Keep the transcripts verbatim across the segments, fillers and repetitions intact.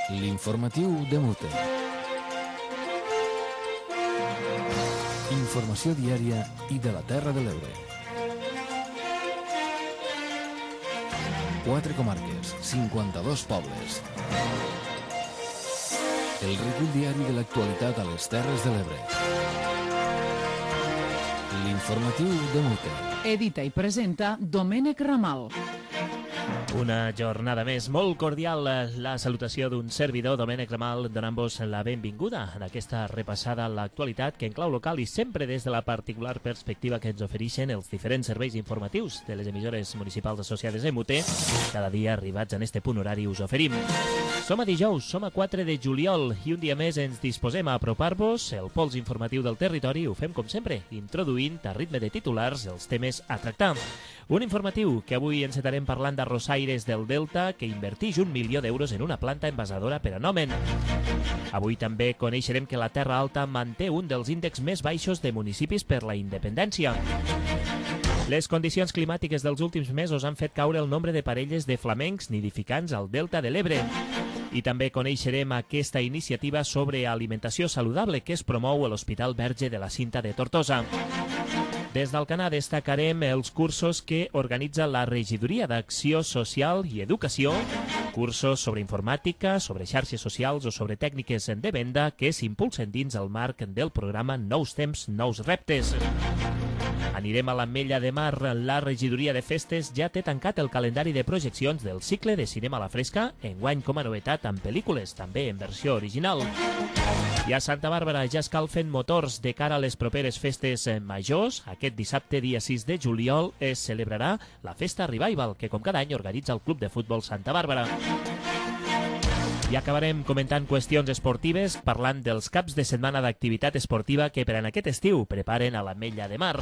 L'informatiu de Mute. Informació diària i de la Terra de l'Ebre. Quatre comarques, cinquanta-dos pobles. El recull diari de l'actualitat a les Terres de l'Ebre. L'informatiu de Mute. Edita i presenta Domènec Ramal. Una jornada més, molt cordial, la salutació d'un servidor, Domènec Ramal, donant-vos la benvinguda en aquesta repassada a l'actualitat que en clau local i sempre des de la particular perspectiva que ens ofereixen els diferents serveis informatius de les emissores municipals associades a Mute. Cada dia, arribats en este punt horari, us oferim. Som a dijous, som a quatre de juliol i un dia més ens disposem a apropar-vos el pols informatiu del territori. Ho fem com sempre, introduint a ritme de titulars els temes a tractar. Un informatiu que avui encetarem parlant d'Arrossaires del Delta, que invertix un milió d'euros en una planta envasadora per a Nomen. Avui també coneixerem que la Terra Alta manté un dels índexs més baixos de municipis per la independència. Les condicions climàtiques dels últims mesos han fet caure el nombre de parelles de flamencs nidificants al Delta de l'Ebre. I també coneixerem aquesta iniciativa sobre alimentació saludable que es promou a l'Hospital Verge de la Cinta de Tortosa. Des d'Alcanar destacarem els cursos que organitza la Regidoria d'Acció Social i Educació, cursos sobre informàtica, sobre xarxes socials o sobre tècniques de venda que s'impulsen dins el marc del programa Nous Temps, Nous Reptes. Anirem a l'Ametlla de Mar. La Regidoria de Festes ja té tancat el calendari de projeccions del cicle de cinema a la fresca, enguany com a novetat amb pel·lícules, també en versió original. I a Santa Bàrbara ja escalfen motors de cara a les properes festes majors. Aquest dissabte, dia sis de juliol, es celebrarà la Festa Revival, que com cada any organitza el Club de Futbol Santa Bàrbara. I acabarem comentant qüestions esportives, parlant dels caps de setmana d'activitat esportiva que per en aquest estiu preparen a l'Ametlla de Mar.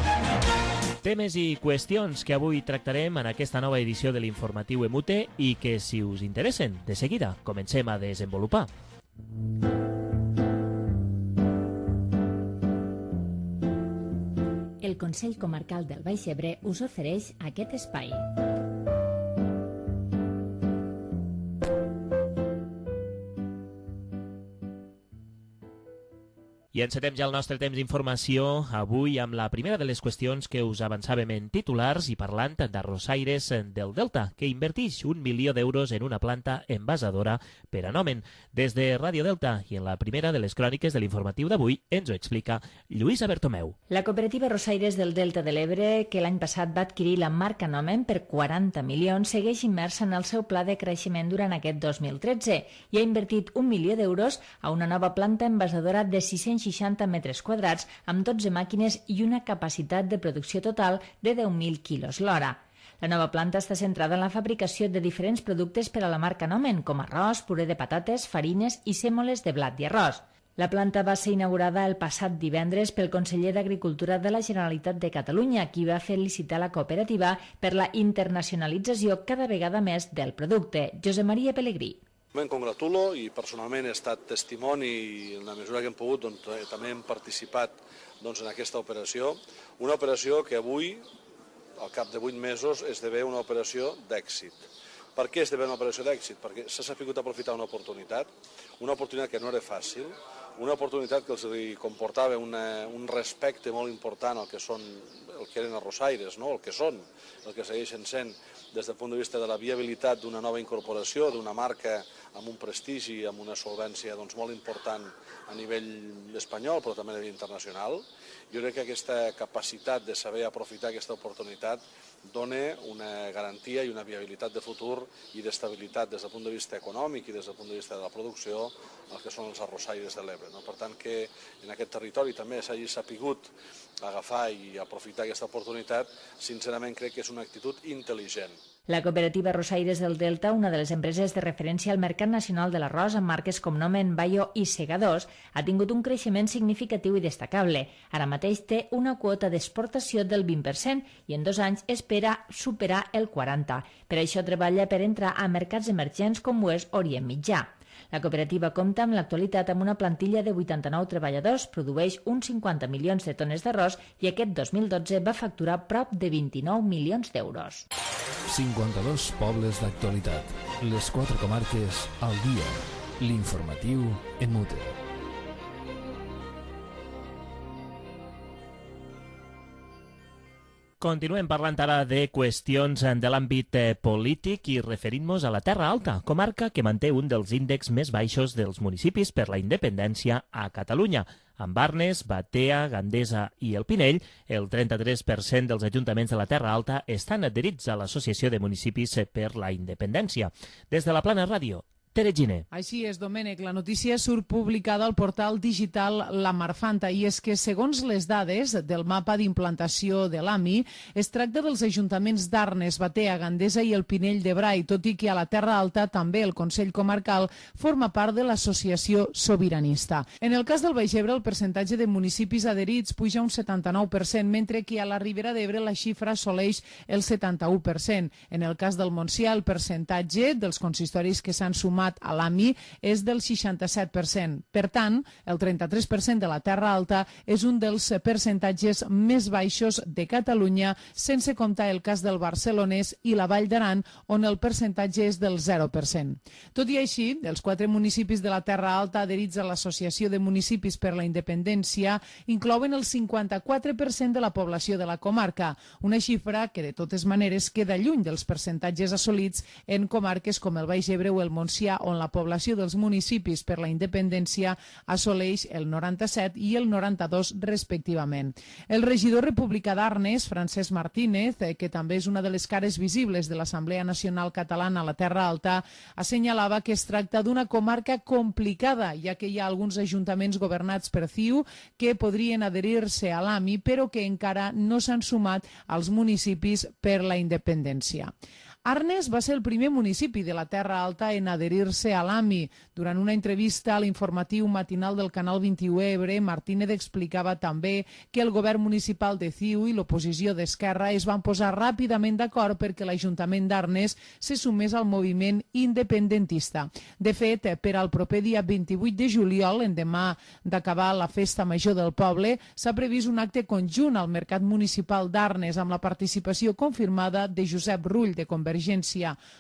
Temes i qüestions que avui tractarem en aquesta nova edició de l'Informatiu Emute i que, si us interessen, de seguida comencem a desenvolupar. El Consell Comarcal del Baix Ebre us ofereix aquest espai. I encetem ja el nostre temps d'informació avui amb la primera de les qüestions que us avançàvem en titulars i parlant d'Arrossaires del Delta, que invertix un milió d'euros en una planta envasadora per a Nomen. Des de Ràdio Delta i en la primera de les cròniques de l'informatiu d'avui ens ho explica Lluïsa Bertomeu. La cooperativa Arrossaires del Delta de l'Ebre, que l'any passat va adquirir la marca Nomen per quaranta milions, segueix immersa en el seu pla de creixement durant aquest dos mil tretze i ha invertit un milió d'euros a una nova planta envasadora de sis-cents seixanta metres quadrats amb dotze màquines i una capacitat de producció total de deu mil quilos l'hora. La nova planta està centrada en la fabricació de diferents productes per a la marca Nomen, com arròs, puré de patates, farines i sèmoles de blat i arròs. La planta va ser inaugurada el passat divendres pel conseller d'Agricultura de la Generalitat de Catalunya, qui va felicitar la cooperativa per la internacionalització cada vegada més del producte. Josep Maria Pellegrí. Me'n congratulo i personalment he estat testimoni i en la mesura que hem pogut doncs, també hem participat doncs, en aquesta operació. Una operació que avui, al cap de vuit mesos, esdevé una operació d'èxit. Per què esdevé una operació d'èxit? Perquè s'ha sabut aprofitar una oportunitat, una oportunitat que no era fàcil, una oportunitat que els comportava una, un respecte molt important al que són, el que eren arrossaires, no? El que són, el que segueixen sent des del punt de vista de la viabilitat d'una nova incorporació, d'una marca amb un prestigi, amb una solvència doncs, molt important a nivell espanyol, però també a nivell internacional. Jo crec que aquesta capacitat de saber aprofitar aquesta oportunitat dona una garantia i una viabilitat de futur i d'estabilitat des del punt de vista econòmic i des del punt de vista de la producció el que són els arrossaires de l'Ebre. No? Per tant, que en aquest territori també s'hagi sapigut agafar i aprofitar aquesta oportunitat, sincerament crec que és una actitud intel·ligent. La cooperativa Arrossaires del Delta, una de les empreses de referència al mercat nacional de l'arròs amb marques com Nomen, Bayo i Segadors, ha tingut un creixement significatiu i destacable. Ara mateix té una quota d'exportació del vint per cent i en dos anys espera superar el quaranta per cent. Per això treballa per entrar a mercats emergents com ho és Orient Mitjà. La cooperativa compta en l'actualitat amb una plantilla de vuitanta-nou treballadors, produeix uns cinquanta milions de tones d'arròs i aquest dos mil dotze va facturar prop de vint-i-nou milions d'euros. cinquanta-dos pobles d'actualitat. Les quatre comarques al dia. L'informatiu en mute. Continuem parlant ara de qüestions de l'àmbit polític i referint-nos a la Terra Alta, comarca que manté un dels índexs més baixos dels municipis per la independència a Catalunya. Amb Arnes, Batea, Gandesa i el Pinell, el trenta-tres per cent dels ajuntaments de la Terra Alta estan adherits a l'Associació de Municipis per la Independència. Des de la Plana Ràdio, Tere Giner. Així és, Domènec. La notícia surt publicada al portal digital La Marfanta i és que, segons les dades del mapa d'implantació de l'A M I, es tracta dels ajuntaments d'Arnes, Batea, Gandesa i el Pinell de Brai, tot i que a la Terra Alta també el Consell Comarcal forma part de l'Associació Sobiranista. En el cas del Baix Ebre, el percentatge de municipis adherits puja un setanta-nou per cent, mentre que a la Ribera d'Ebre la xifra assoleix el setanta-u per cent. En el cas del Montsià, el percentatge dels consistoris que s'han sumat a l'A M I és del seixanta-set per cent. Per tant, el trenta-tres per cent de la Terra Alta és un dels percentatges més baixos de Catalunya, sense comptar el cas del Barcelonès i la Vall d'Aran, on el percentatge és del zero per cent. Tot i així, els quatre municipis de la Terra Alta adherits a l'Associació de Municipis per la Independència inclouen el cinquanta-quatre per cent de la població de la comarca, una xifra que de totes maneres queda lluny dels percentatges assolits en comarques com el Baix Ebre o el Montsià, on la població dels municipis per la independència assoleix el noranta-set i el noranta-dos respectivament. El regidor republicà d'Arnes, Francesc Martínez, que també és una de les cares visibles de l'Assemblea Nacional Catalana a la Terra Alta, assenyalava que es tracta d'una comarca complicada, ja que hi ha alguns ajuntaments governats per C I U que podrien adherir-se a l'A M I, però que encara no s'han sumat als municipis per la independència. Arnes va ser el primer municipi de la Terra Alta en adherir-se a l'A M I. Durant una entrevista a l'informatiu matinal del Canal vint-i-u Ebre, Martínez explicava també que el govern municipal de C I U i l'oposició d'Esquerra es van posar ràpidament d'acord perquè l'Ajuntament d'Arnes se sumés al moviment independentista. De fet, per al proper dia vint-i-vuit de juliol, endemà d'acabar la festa major del poble, s'ha previst un acte conjunt al Mercat Municipal d'Arnes amb la participació confirmada de Josep Rull, de Convergència,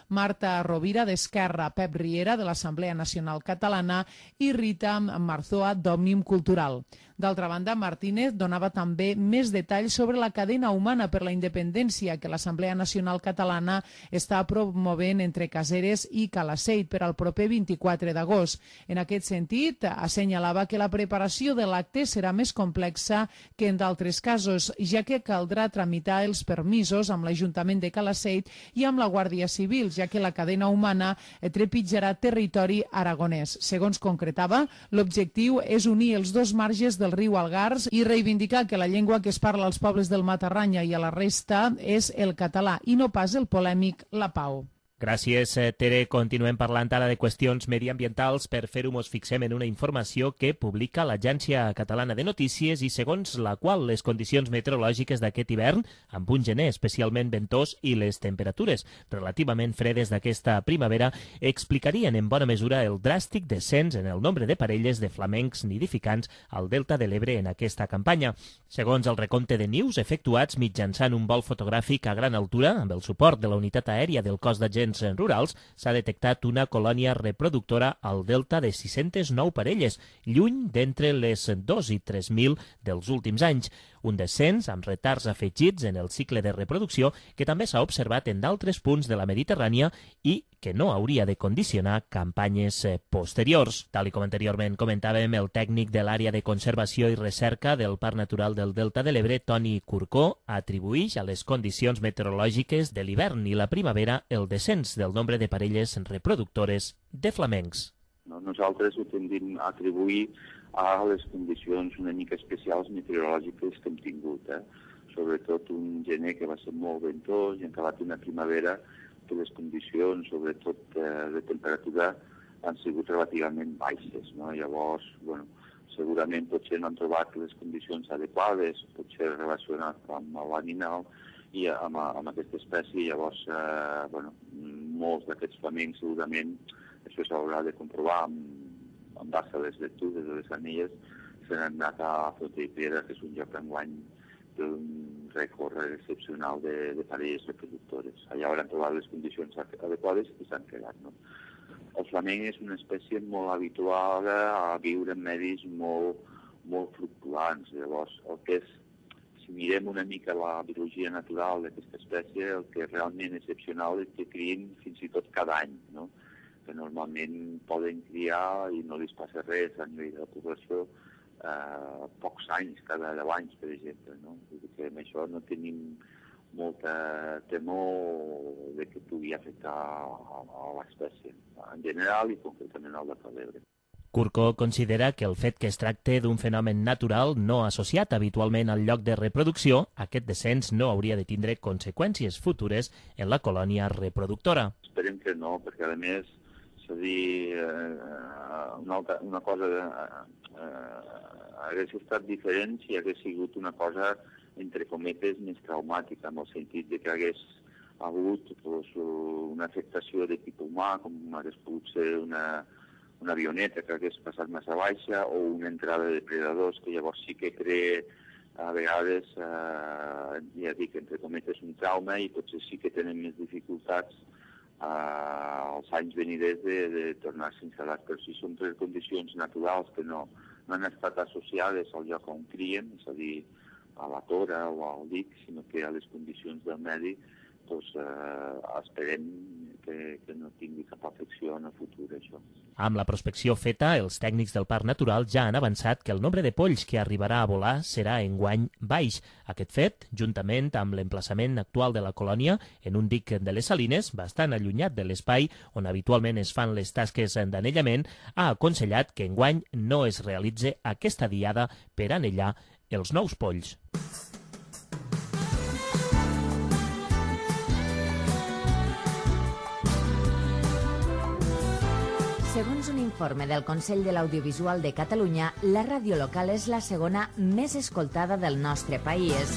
Marta Rovira d'Esquerra, Pep Riera de l'Assemblea Nacional Catalana i Rita Marzoa d'Òmnium Cultural. D'altra banda, Martínez donava també més detalls sobre la cadena humana per la independència que l'Assemblea Nacional Catalana està promovent entre Caseres i Calaceit per al proper vint-i-quatre d'agost. En aquest sentit, assenyalava que la preparació de l'acte serà més complexa que en d'altres casos, ja que caldrà tramitar els permisos amb l'Ajuntament de Calaceit i amb la Guàrdia Civil, ja que la cadena humana trepitjarà territori aragonès. Segons concretava, l'objectiu és unir els dos marges del riu Algars i reivindicar que la llengua que es parla als pobles del Matarranya i a la resta és el català i no pas el polèmic la pau. Gràcies, Tere. Continuem parlant ara de qüestions mediambientals. Per fer-ho mos fixem en una informació que publica l'Agència Catalana de Notícies i segons la qual les condicions meteorològiques d'aquest hivern, amb un gener especialment ventós i les temperatures relativament fredes d'aquesta primavera, explicarien en bona mesura el dràstic descens en el nombre de parelles de flamencs nidificants al Delta de l'Ebre en aquesta campanya. Segons el recompte de nius efectuats mitjançant un vol fotogràfic a gran altura, amb el suport de la unitat aèria del Cos d'Agents Rurals, s'ha detectat una colònia reproductora al delta de sis-centes nou parelles, lluny d'entre les dos i tres mil dels últims anys. Un descens amb retards afegits en el cicle de reproducció que també s'ha observat en d'altres punts de la Mediterrània i que no hauria de condicionar campanyes posteriors. Tal i com anteriorment comentàvem, el tècnic de l'àrea de conservació i recerca del Parc Natural del Delta de l'Ebre, Toni Curcó, atribueix a les condicions meteorològiques de l'hivern i la primavera el descens del nombre de parelles reproductores de flamencs. Nosaltres ho tendim a atribuir a les condicions una mica especials meteorològiques que hem tingut, eh? Sobretot un gener que va ser molt ventós i acabat una primavera que les condicions, sobretot eh, de temperatura, han sigut relativament baixes, no? Llavors, bueno, segurament potser no han trobat les condicions adequades, potser relacionat amb l'animal i amb, amb aquesta espècie, llavors, eh, bueno, molts d'aquests flamencs segurament, això s'haurà de comprovar amb en base a les lectures de les anelles, se n'han anat a Frontera, que és un lloc d'enguany d'un rècord excepcional de, de parelles reproductores. Allà hauran trobat les condicions adequades i s'han quedat, no? el flamenc és una espècie molt habituada a viure en medis molt, molt fluctuants. Llavors, el que és, si mirem una mica la biologia natural d'aquesta espècie, el que és realment excepcional és que crien fins i tot cada any, no? Que normalment poden criar i no els passa res a nivell de la població eh, pocs anys, cada deu anys, per exemple, no? Vull dir que amb això no tenim molta temor de que pugui afectar a, a l'espècie, en general i concretament al de l'Ebre. Curcó considera que el fet que es tracte d'un fenomen natural no associat habitualment al lloc de reproducció, aquest descens no hauria de tindre conseqüències futures en la colònia reproductora. Esperem que no, perquè a més, és a dir, eh, una, altra, una cosa eh, eh, hagués estat diferent si hagués sigut una cosa, entre cometes, més traumàtica, en el sentit de que hagués hagut pues, una afectació de tipus humà, com hagués pogut ser una, una avioneta que hagués passat massa baixa o una entrada de depredadors, que llavors sí que crea a vegades, eh, ja dic, entre cometes, un trauma i potser sí que tenen més dificultats Uh, els anys veniders de, de tornar-se a instal·lar, però si són tres condicions naturals que no, no han estat associades al lloc on crien, és a dir, a la tora o al dic, sinó que a les condicions del medi, doncs uh, esperem que, que no tingui cap afecció en el futur, això. Amb la prospecció feta, els tècnics del Parc Natural ja han avançat que el nombre de polls que arribarà a volar serà enguany baix. Aquest fet, juntament amb l'emplaçament actual de la colònia, en un dic de les Salines, bastant allunyat de l'espai on habitualment es fan les tasques d'anellament, ha aconsellat que enguany no es realitze aquesta diada per anellar els nous polls. Segons un informe del Consell de l'Audiovisual de Catalunya, la ràdio local és la segona més escoltada del nostre país.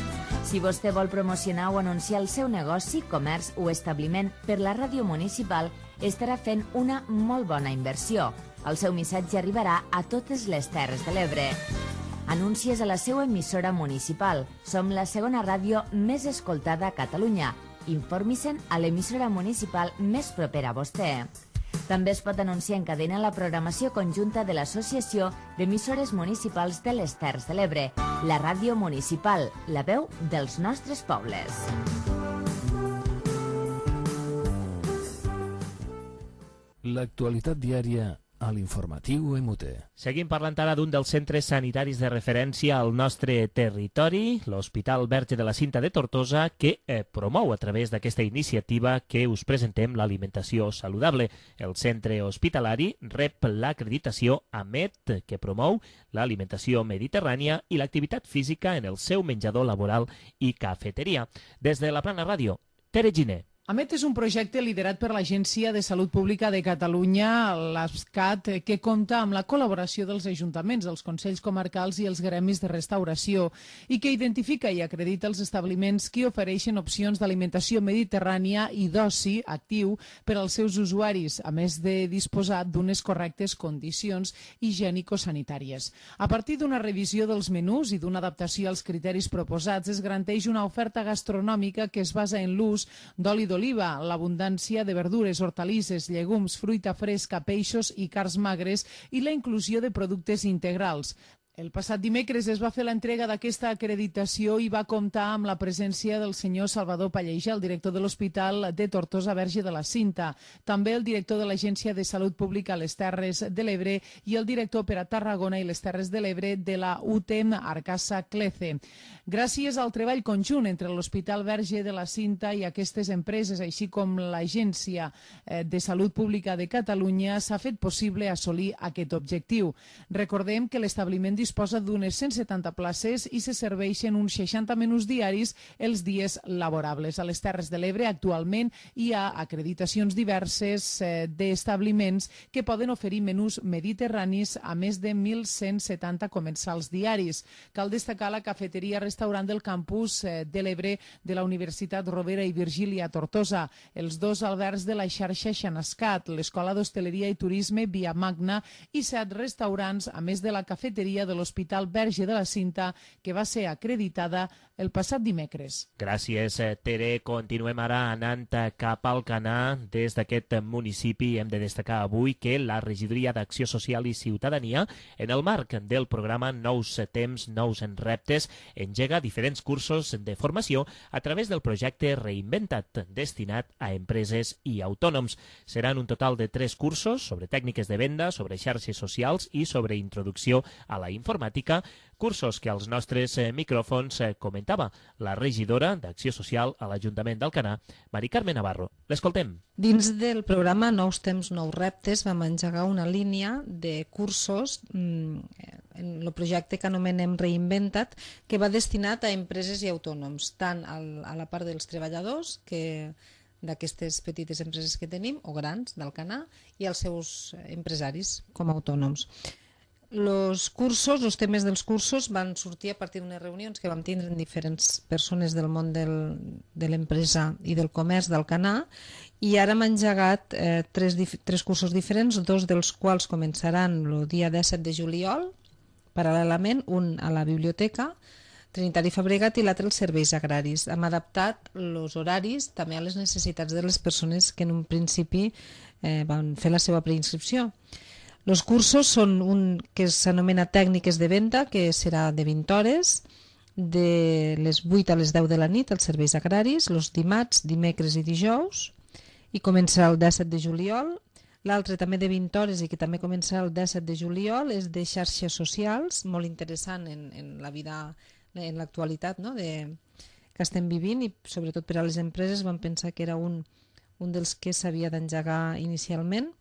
Si vostè vol promocionar o anunciar el seu negoci, comerç o establiment per la ràdio municipal, estarà fent una molt bona inversió. El seu missatge arribarà a totes les Terres de l'Ebre. Anuncies a la seva emissora municipal. Som la segona ràdio més escoltada a Catalunya. Informi-se'n a l'emissora municipal més propera a vostè. També es pot anunciar en cadena la programació conjunta de l'Associació d'Emissores Municipals de les Terres de l'Ebre, la ràdio municipal, la veu dels nostres pobles. L'actualitat diària a l'informatiu M U T. Seguim parlant ara d'un dels centres sanitaris de referència al nostre territori, l'Hospital Verge de la Cinta de Tortosa, que eh, promou a través d'aquesta iniciativa que us presentem l'alimentació saludable. El centre hospitalari rep l'acreditació AMET, que promou l'alimentació mediterrània i l'activitat física en el seu menjador laboral i cafeteria. Des de la Plana Ràdio, Tere Giner. AMET és un projecte liderat per l'Agència de Salut Pública de Catalunya, l'ASCAT, que compta amb la col·laboració dels ajuntaments, els consells comarcals i els gremis de restauració i que identifica i acredita els establiments que ofereixen opcions d'alimentació mediterrània i d'oci actiu per als seus usuaris, a més de disposar d'unes correctes condicions higiènico-sanitàries. A partir d'una revisió dels menús i d'una adaptació als criteris proposats, es garanteix una oferta gastronòmica que es basa en l'ús d'oli d'oliva, l'abundància de verdures, hortalisses, llegums, fruita fresca, peixos i carns magres i la inclusió de productes integrals. El passat dimecres es va fer l'entrega d'aquesta acreditació i va comptar amb la presència del senyor Salvador Pallejà, el director de l'Hospital de Tortosa Verge de la Cinta, també el director de l'Agència de Salut Pública a les Terres de l'Ebre i el director per a Tarragona i les Terres de l'Ebre de la U T E M Arcassa Clece. Gràcies al treball conjunt entre l'Hospital Verge de la Cinta i aquestes empreses, així com l'Agència de Salut Pública de Catalunya, s'ha fet possible assolir aquest objectiu. Recordem que l'establiment disposa d'unes cent setanta places i se serveixen uns seixanta menús diaris els dies laborables. A les Terres de l'Ebre actualment hi ha acreditacions diverses eh, d'establiments que poden oferir menús mediterranis a més de mil cent setanta comensals diaris. Cal destacar la cafeteria-restaurant del campus eh, de l'Ebre de la Universitat Rovira i Virgili a Tortosa, els dos albergs de la xarxa Xanascat, l'Escola d'Hostaleria i Turisme Via Magna i set restaurants, a més de la cafeteria del l'Hospital Verge de la Cinta, que va ser acreditada el passat dimecres. Gràcies, Tere. Continuem ara anant cap al Canà. Des d'aquest municipi hem de destacar avui que la Regidoria d'Acció Social i Ciutadania, en el marc del programa Nous Temps, Nous Reptes, engega diferents cursos de formació a través del projecte Reinventa't, destinat a empreses i autònoms. Seran un total de tres cursos sobre tècniques de venda, sobre xarxes socials i sobre introducció a la informàtica, cursos que als nostres micròfons comentava la regidora d'Acció Social a l'Ajuntament d'Alcanar, Mari Carme Navarro. L'escoltem. Dins del programa Nous Temps, Nous Reptes vam engegar una línia de cursos en el projecte que anomenem Reinventa't, que va destinat a empreses i autònoms, tant a la part dels treballadors, que d'aquestes petites empreses que tenim, o grans, d'Alcanar, i als seus empresaris com a autònoms. Els cursos, els temes dels cursos van sortir a partir d'unes reunions que vam tindre amb diferents persones del món del, de l'empresa i del comerç d'Alcanar, i ara hem engegat eh, tres, tres cursos diferents, dos dels quals començaran el dia disset de juliol, paral·lelament, un a la biblioteca Trinitari Fabregat i l'altre als serveis agraris. Hem adaptat els horaris també a les necessitats de les persones que en un principi eh, van fer la seva preinscripció. Els cursos són un que s'anomena Tècniques de Venda, que serà de vint hores, de les vuit a les deu de la nit als serveis agraris, els dimarts, dimecres i dijous, i començarà el disset de juliol. L'altre també de vint hores i que també començarà el disset de juliol és de xarxes socials, molt interessant en, en la vida, en l'actualitat, no? de, que estem vivint, i sobretot per a les empreses vam pensar que era un, un dels que s'havia d'engegar inicialment.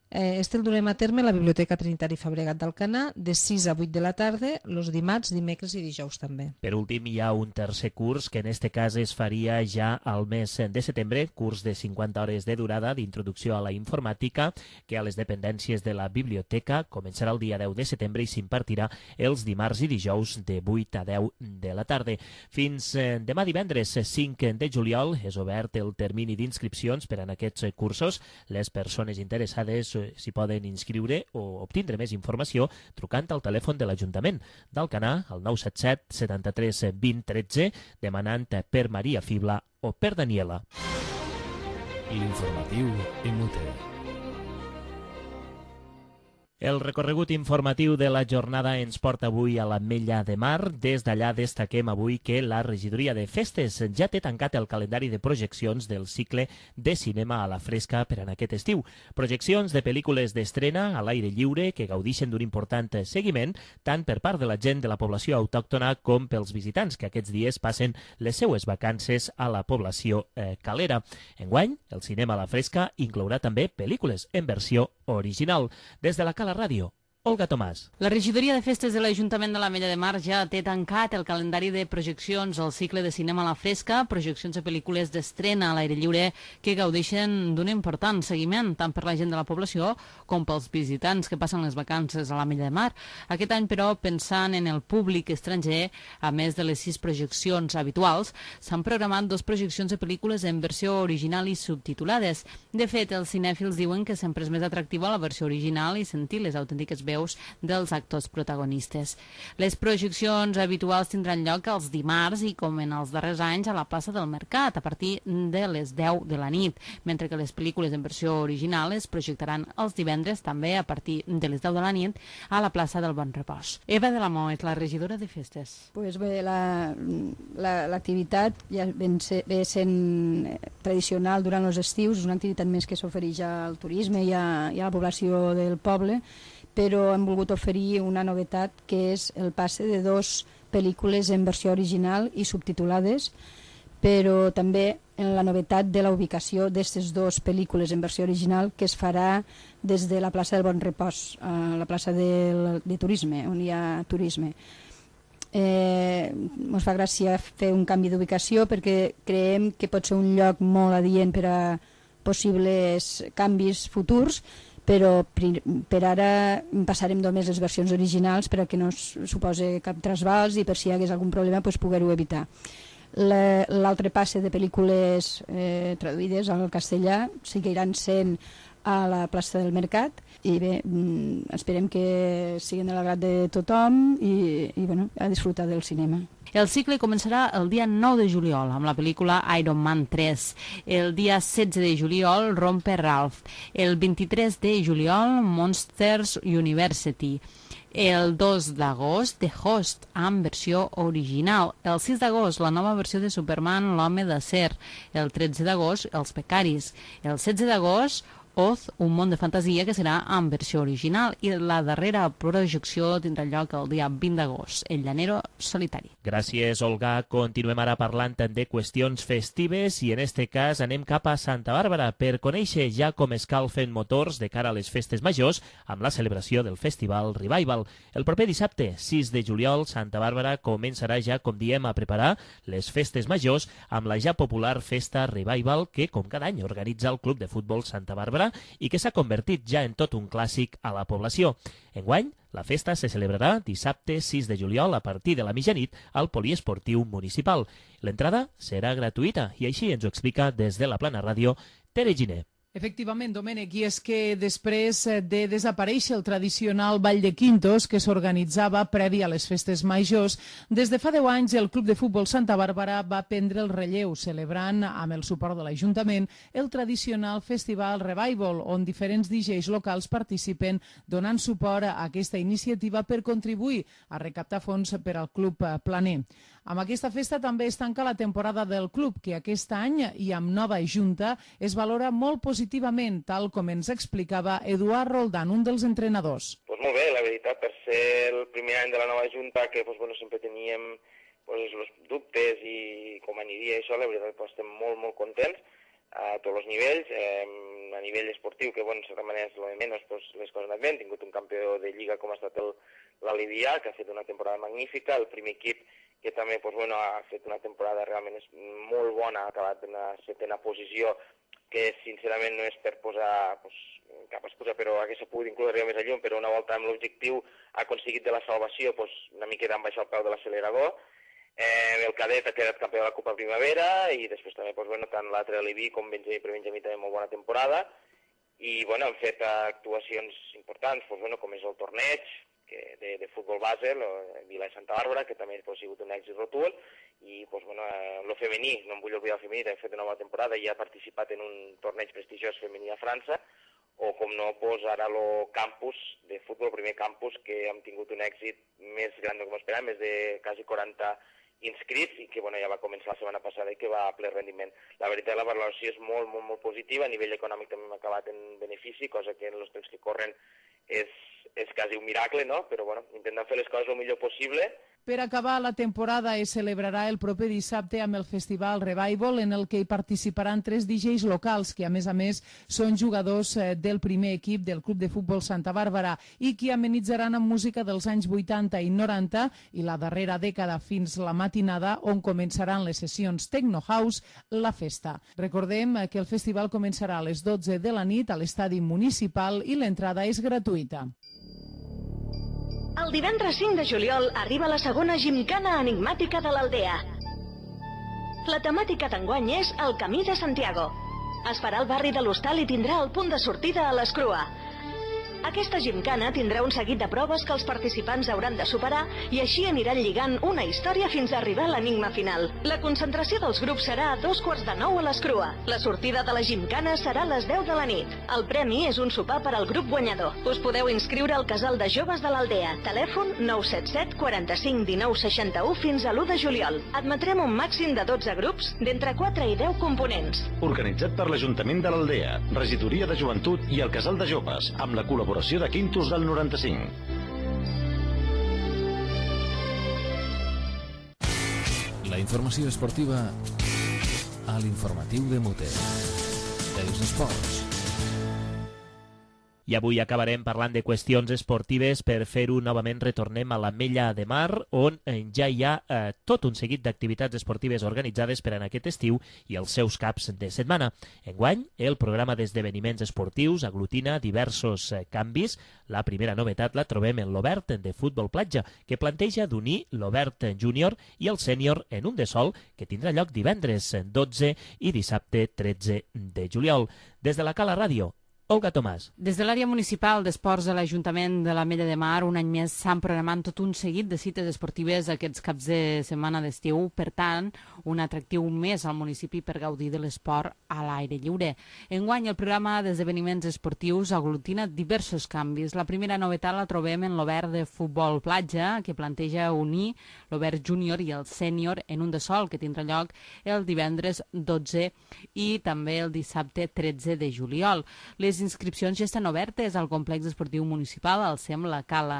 Eh, este el durem a terme a la Biblioteca Trinitari Fabregat d'Alcanar de sis a vuit de la tarda, els dimarts, dimecres i dijous també. Per últim, hi ha un tercer curs que en este cas es faria ja al mes de setembre, curs de cinquanta hores de durada d'introducció a la informàtica, que a les dependències de la biblioteca començarà el dia deu de setembre i s'impartirà els dimarts i dijous de vuit a deu de la tarda. Fins eh, demà divendres cinc de juliol és obert el termini d'inscripcions per a aquests cursos. Les persones interessades s'hi poden inscriure o obtindre més informació trucant al telèfon de l'Ajuntament d'Alcanar al nou set set setanta-tres vint tretze, demanant per Maria Fibla o per Daniela. L'informatiu Imute. El recorregut informatiu de la jornada ens porta avui a l'Ametlla de Mar. Des d'allà destaquem avui que la Regidoria de Festes ja té tancat el calendari de projeccions del cicle de cinema a la fresca per en aquest estiu. Projeccions de pel·lícules d'estrena a l'aire lliure que gaudixen d'un important seguiment tant per part de la gent de la població autòctona com pels visitants que aquests dies passen les seues vacances a la població eh, calera. Enguany, el cinema a la fresca inclourà també pel·lícules en versió original. Des de la Cala Ràdio, Olga Tomàs. La Regidoria de Festes de l'Ajuntament de l'Ametlla de Mar ja té tancat el calendari de projeccions al cicle de cinema a la fresca, projeccions de pel·lícules d'estrena a l'aire lliure que gaudeixen d'un important seguiment tant per la gent de la població com pels visitants que passen les vacances a l'Ametlla de Mar. Aquest any, però, pensant en el públic estranger, a més de les sis projeccions habituals, s'han programat dos projeccions de pel·lícules en versió original i subtitulades. De fet, els cinèfils diuen que sempre és més atractiva la versió original i sentir les autèntiques veus dels actors protagonistes. Les projeccions habituals tindran lloc els dimarts i, com en els darrers anys, a la plaça del Mercat, a partir de les deu de la nit, mentre que les pel·lícules en versió original es projectaran els divendres, també a partir de les deu de la nit, a la plaça del Bon Repòs. Eva de la Mó és la regidora de Festes. Pues bé, l'activitat la, la, ja ve, ser, ve sent tradicional durant els estius, és una activitat més que s'ofereix al turisme i a, i a la població del poble, però hem volgut oferir una novetat que és el passe de dos pel·lícules en versió original i subtitulades, però també en la novetat de la ubicació d'aquestes dues pel·lícules en versió original que es farà des de la plaça del Bon Repòs, a la plaça de, de turisme, on hi ha turisme. Eh, ens fa gràcia fer un canvi d'ubicació perquè creiem que pot ser un lloc molt adient per a possibles canvis futurs, però per ara passarem només les versions originals per a que no suposi cap trasbals i per si hi hagués algun problema pues, poder-ho evitar. L'altre passe de pel·lícules eh, traduïdes al castellà seguiran sent a la plaça del Mercat i bé, esperem que siguin de l'agrat de tothom i, i bueno, a disfrutar del cinema. El cicle començarà el dia nou de juliol amb la pel·lícula Iron Man tres. El dia setze de juliol, Rompe Ralph. El vint-i-tres de juliol, Monsters University. El dos d'agost, The Host, amb versió original. El sis d'agost, la nova versió de Superman, l'home d'acer. El tretze d'agost, Els becaris. El setze d'agost, Oz, un món de fantasia, que serà en versió original, i la darrera projecció tindrà lloc el dia vint d'agost, El llanero solitari. Gràcies, Olga. Continuem ara parlant de qüestions festives i en este cas anem cap a Santa Bàrbara per conèixer ja com escalfen motors de cara a les festes majors amb la celebració del festival Revival. El proper dissabte, sis de juliol, Santa Bàrbara començarà ja, com diem, a preparar les festes majors amb la ja popular festa Revival que, com cada any, organitza el Club de Futbol Santa Bàrbara i que s'ha convertit ja en tot un clàssic a la població. Enguany, la festa se celebrarà dissabte sis de juliol a partir de la mitjanit al Poliesportiu Municipal. L'entrada serà gratuïta i així ens ho explica des de la Plana Ràdio Tere Giner. Efectivament, Domènec, i és que després de desaparèixer el tradicional Ball de Quintos que s'organitzava previ a les festes majors, des de fa deu anys el Club de Futbol Santa Bàrbara va prendre el relleu, celebrant, amb el suport de l'Ajuntament, el tradicional Festival Revival, on diferents D Js locals participen donant suport a aquesta iniciativa per contribuir a recaptar fons per al Club Planer. Amb aquesta festa també es tanca la temporada del club, que aquest any, i amb nova junta, es valora molt positivament, tal com ens explicava Eduard Roldán, un dels entrenadors. Pues molt bé, la veritat, per ser el primer any de la nova junta, que pues, bueno, sempre teníem pues, els dubtes i com aniria això, la veritat pues, estem molt, molt contents a tots els nivells. Eh, a nivell esportiu, que bueno, de manera és el de menys, pues, les coses han anat bé. Hem tingut un campió de Lliga com ha estat l'Alivià, que ha fet una temporada magnífica, el primer equip que també pues, bueno, ha fet una temporada realment molt bona, ha acabat en la setena posició, que sincerament no és per posar pues, cap excusa, però hagués pogut incloure arribar més a llum, però una volta amb l'objectiu ha aconseguit de la salvació pues, una miqueta amb baixar el peu de l'accelerador. Eh, el cadet ha quedat campió de la Copa Primavera i després també pues, bueno, tant l'altre Aliví com Benjamí per Benjamí també molt bona temporada i bueno, hem fet actuacions importants pues, bueno, com és el torneig que de, de futbol base, el Vila de Santa Bàrbara, que també ha sigut un èxit rotund, i pues, bueno, el femení, no em vull oblidar el femení, també ha fet una nova temporada i ha participat en un torneig prestigiós femení a França, o com no, pues, ara el campus de futbol, el primer campus, que hem tingut un èxit més gran del que m'esperàvem, més de quasi quaranta inscrits, i que bueno, ja va començar la setmana passada i que va a ple rendiment. La veritat, la valoració és molt, molt, molt positiva, a nivell econòmic també hem acabat en benefici, cosa que en els temps que corren és, és quasi un miracle, no? Però bueno, intentant fer les coses el millor possible. Per acabar la temporada es celebrarà el proper dissabte amb el Festival Revival, en el que hi participaran tres D Js locals, que a més a més són jugadors del primer equip del Club de Futbol Santa Bàrbara i que amenitzaran amb música dels anys vuitanta i noranta i la darrera dècada fins la matinada, on començaran les sessions Techno House, la festa. Recordem que el festival començarà a les dotze de la nit a l'estadi municipal i l'entrada és gratuïta. El divendres cinc de juliol arriba la segona gimcana enigmàtica de l'Aldea. La temàtica d'enguany és el Camí de Santiago. Es farà al barri de l'Hostal i tindrà el punt de sortida a l'Escrua. Aquesta gimcana tindrà un seguit de proves que els participants hauran de superar i així aniran lligant una història fins a arribar a l'enigma final. La concentració dels grups serà a dos quarts de nou a l'Escrua. La sortida de la gimcana serà a les deu de la nit. El premi és un sopar per al grup guanyador. Us podeu inscriure al Casal de Joves de l'Aldea. Telèfon nou set set quaranta-cinc dinou seixanta-u fins a l'u de juliol. Admetrem un màxim de dotze grups d'entre quatre i deu components. Organitzat per l'Ajuntament de l'Aldea, Regidoria de Joventut i el Casal de Joves, amb la col·laboració de Quintos del noranta-cinc. La informació esportiva a l'informatiu de Muter. Els esports. I avui acabarem parlant de qüestions esportives. Per fer-ho, novament retornem a l'Ametlla de Mar, on ja hi ha eh, tot un seguit d'activitats esportives organitzades per a aquest estiu i els seus caps de setmana. Enguany, el programa d'esdeveniments esportius aglutina diversos eh, canvis. La primera novetat la trobem en l'Obert de Futbol Platja, que planteja d'unir l'Obert Júnior i el Sènior en un de sol, que tindrà lloc divendres dotze i dissabte tretze de juliol. Des de la Cala Ràdio, Olga Tomàs. Des de l'àrea municipal d'esports de l'Ajuntament de l'Ametlla de Mar, un any més s'han programat tot un seguit de cites esportives aquests caps de setmana d'estiu. Per tant, un atractiu més al municipi per gaudir de l'esport a l'aire lliure. Enguany, el programa d'esdeveniments esportius aglutina diversos canvis. La primera novetat la trobem en l'Obert de Futbol Platja, que planteja unir l'Obert júnior i el sènior en un de sol, que tindrà lloc el divendres dotze i també el dissabte tretze de juliol. Les inscripcions ja estan obertes al complex esportiu municipal, al S E M La Cala.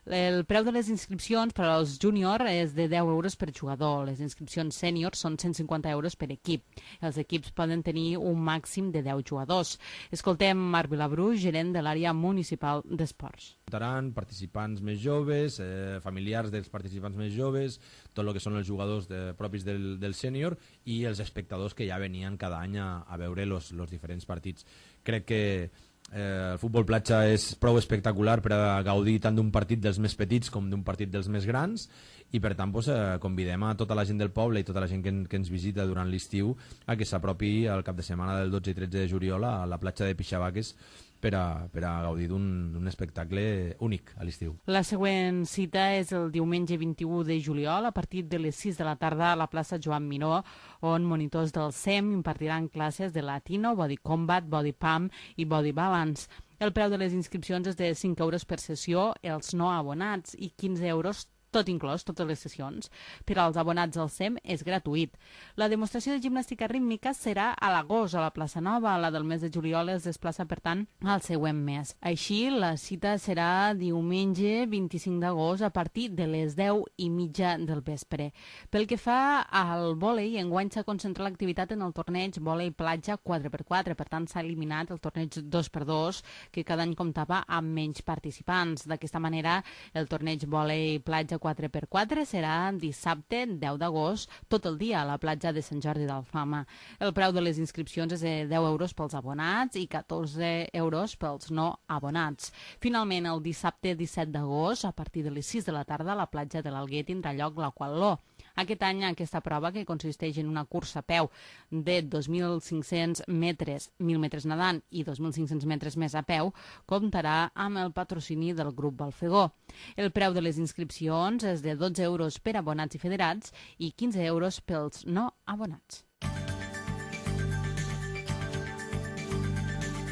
El preu de les inscripcions per als júnior és de deu euros per jugador. Les inscripcions sènior són cent cinquanta euros per equip. Els equips poden tenir un màxim de deu jugadors. Escoltem Marc Vilabrú, gerent de l'àrea municipal d'esports. Votaran participants més joves, eh, familiars dels participants més joves, tot el que són els jugadors de, propis del, del sènior i els espectadors que ja venien cada any a, a veure els diferents partits. Crec que eh, el futbol platja és prou espectacular per a gaudir tant d'un partit dels més petits com d'un partit dels més grans i per tant pues, eh, convidem a tota la gent del poble i tota la gent que, en, que ens visita durant l'estiu a que s'apropi al cap de setmana del dotze i tretze de juliol a la platja de Pixabaques per a, per a gaudir d'un espectacle únic a l'estiu. La següent cita és el diumenge vint-i-u de juliol a partir de les sis de la tarda a la plaça Joan Miró, on monitors del S E M impartiran classes de latino, body combat, body pump i body balance. El preu de les inscripcions és de cinc euros per sessió, els no abonats, i quinze euros tot inclòs, totes les sessions. Per als abonats al S E M és gratuït. La demostració de gimnàstica rítmica serà a l'agost a la plaça Nova. La del mes de juliol es desplaça, per tant, al següent mes. Així, la cita serà diumenge vint-i-cinc d'agost a partir de les deu i mitja del vespre. Pel que fa al vòlei, enguany s'ha concentrat l'activitat en el torneig vòlei platja quatre per quatre. Per tant, s'ha eliminat el torneig dos per dos, que cada any comptava amb menys participants. D'aquesta manera, el torneig vòlei platja quatre per quatre serà dissabte deu d'agost tot el dia a la platja de Sant Jordi d'Alfama. El preu de les inscripcions és de deu euros pels abonats i catorze euros pels no abonats. Finalment, el dissabte disset d'agost, a partir de les sis de la tarda, a la platja de l'Alguer tindrà lloc l'aquatló. Aquest any, aquesta prova, que consisteix en una cursa a peu de dos mil cinc-cents metres, mil metres nedant i dos mil cinc-cents metres més a peu, comptarà amb el patrocini del grup Balfegó. El preu de les inscripcions és de dotze euros per abonats i federats i quinze euros pels no abonats.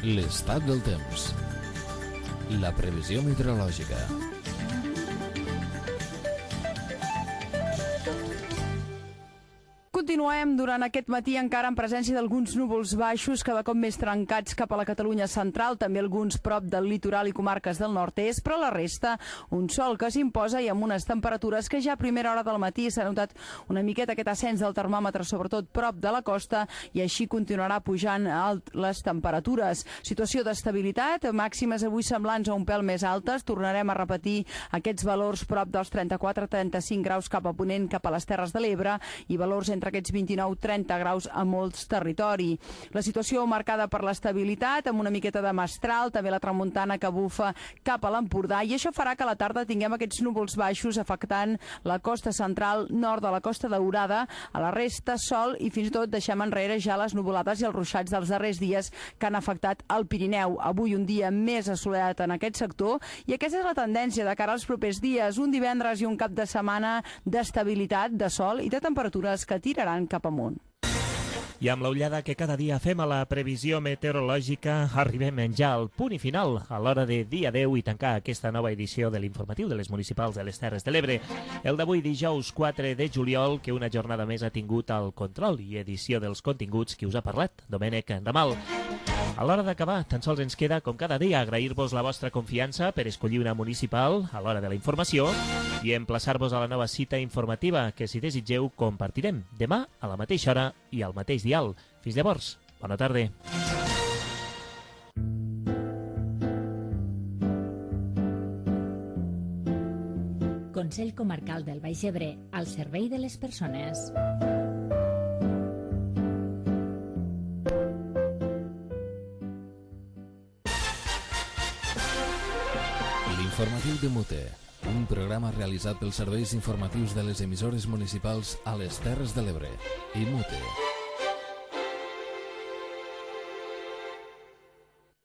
L'estat del temps. La previsió meteorològica. Continuem durant aquest matí encara en presència d'alguns núvols baixos cada cop més trencats cap a la Catalunya central, també alguns prop del litoral i comarques del nord-est, però la resta un sol que s'imposa i amb unes temperatures que ja a primera hora del matí s'ha notat una miqueta aquest ascens del termòmetre, sobretot prop de la costa, i així continuarà pujant alt les temperatures. Situació d'estabilitat, màximes avui semblants a un pèl més altes, tornarem a repetir aquests valors prop dels trenta-quatre a trenta-cinc graus cap a ponent, cap a les Terres de l'Ebre, i valors entre aquests vint-i-nou a trenta graus a molts territoris. La situació marcada per l'estabilitat, amb una miqueta de mestral, també la tramuntana que bufa cap a l'Empordà, i això farà que a la tarda tinguem aquests núvols baixos afectant la costa central, nord de la Costa Daurada, a la resta sol, i fins i tot deixem enrere ja les nuvolades i els ruixats dels darrers dies que han afectat el Pirineu. Avui un dia més assolellat en aquest sector, i aquesta és la tendència de cara als propers dies, un divendres i un cap de setmana d'estabilitat, de sol i de temperatures que tiraran cap amunt. I amb l'ullada que cada dia fem a la previsió meteorològica, arribem ja al punt i final a l'hora de dir adeu i tancar aquesta nova edició de l'informatiu de les municipals de les Terres de l'Ebre. El d'avui, dijous quatre de juliol, que una jornada més ha tingut el control i edició dels continguts qui us ha parlat, Domènec Ramal. A l'hora d'acabar, tan sols ens queda, com cada dia, agrair-vos la vostra confiança per escollir una municipal a l'hora de la informació i emplaçar-vos a la nova cita informativa que, si desitgeu, compartirem demà a la mateixa hora i al mateix dial. Fins llavors, bona tarda. Consell Comarcal del Baix Ebre, al servei de les persones. L'informatiu de Mute, un programa realitzat pels serveis informatius de les emissores municipals a les Terres de l'Ebre i Mute.